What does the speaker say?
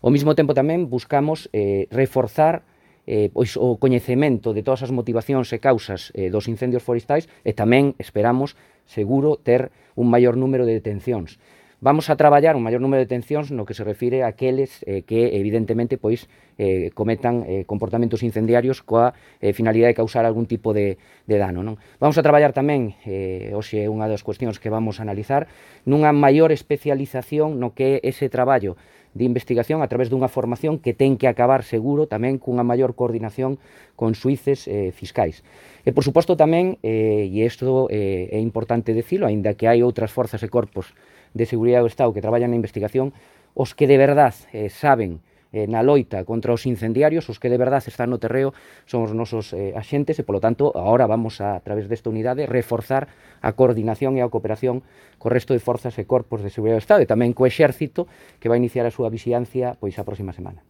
Ao mesmo tempo tamén buscamos reforzar pois, o coñecemento de todas as motivacións e causas dos incendios forestais e tamén esperamos, seguro, ter un maior número de detencións. Vamos a traballar un maior número de detencións no que se refire a aqueles que evidentemente pois cometan comportamentos incendiarios coa finalidade de causar algún tipo de dano, non? Vamos a traballar tamén, hoxe é unha das cuestións que vamos a analizar, nunha maior especialización no que é ese traballo de investigación a través dunha formación que ten que acabar seguro tamén cunha maior coordinación con xuíces fiscais. E, por suposto, tamén, e isto é importante dicilo, aínda que hai outras forzas e corpos de seguridade do Estado que traballan na investigación, os que de verdad saben na loita contra os incendiarios, os que de verdad están no terreo son os nosos axentes e, polo tanto, agora vamos a través desta unidade, reforzar a coordinación e a cooperación co resto de forzas e corpos de seguridade do Estado e tamén co Exército, que vai iniciar a súa vixilancia pois a próxima semana.